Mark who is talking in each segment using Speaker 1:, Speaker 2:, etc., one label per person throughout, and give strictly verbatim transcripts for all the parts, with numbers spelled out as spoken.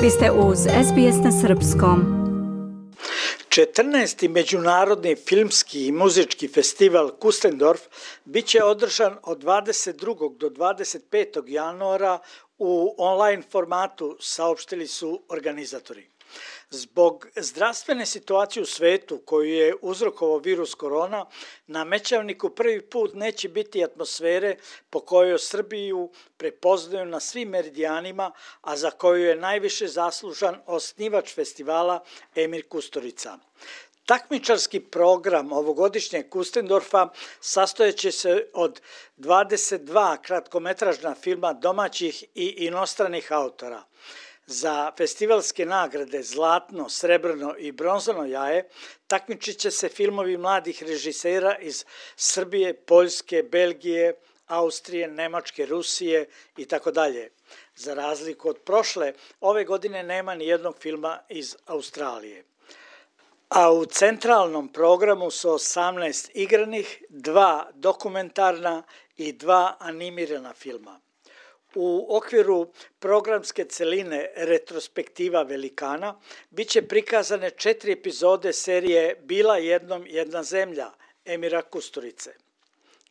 Speaker 1: Vi ste uz es be es na srpskom.
Speaker 2: četrnaesti. Međunarodni filmski i muzički festival Kustendorf bit će održan od dvadeset drugog do dvadeset petog januara u online formatu, saopštili su organizatori. Zbog zdravstvene situacije u svetu koju je uzrokovao virus korona, na Mećavniku prvi put neće biti atmosfere po kojoj Srbiju prepoznaju na svim meridijanima, a za koju je najviše zaslužan osnivač festivala Emir Kusturica. Takmičarski program ovogodišnjeg Kustendorfa sastojeće se od dvadeset dva kratkometražna filma domaćih i inostranih autora. Za festivalske nagrade Zlatno, Srebrno i Bronzano jaje takmičit će se filmovi mladih režisera iz Srbije, Poljske, Belgije, Austrije, Nemačke, Rusije i tako dalje. Za razliku od prošle, ove godine nema ni jednog filma iz Australije. A u centralnom programu su osamnaest igranih, dva dokumentarna i dva animirana filma. U okviru programske celine Retrospektiva velikana bit će prikazane četiri epizode serije Bila jednom jedna zemlja Emira Kusturice.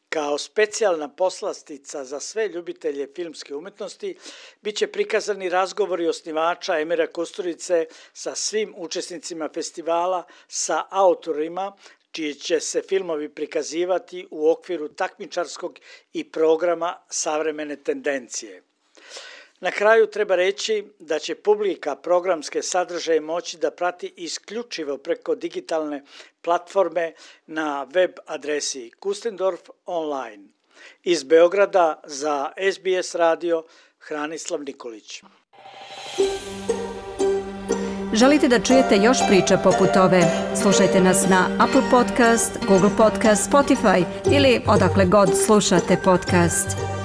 Speaker 2: Kao specijalna poslastica za sve ljubitelje filmske umetnosti bit će prikazani razgovori osnivača Emira Kusturice sa svim učesnicima festivala, sa autorima, čiji će se filmovi prikazivati u okviru takmičarskog i programa Savremene tendencije. Na kraju treba reći da će publika programske sadržaje moći da prati isključivo preko digitalne platforme na web adresi Kustendorf online. Iz Beograda za es be es radio Hranislav Nikolić.
Speaker 1: Želite da čujete još priča poput ove? Slušajte nas na Apple Podcast, Google Podcast, Spotify ili odakle god slušate podcast.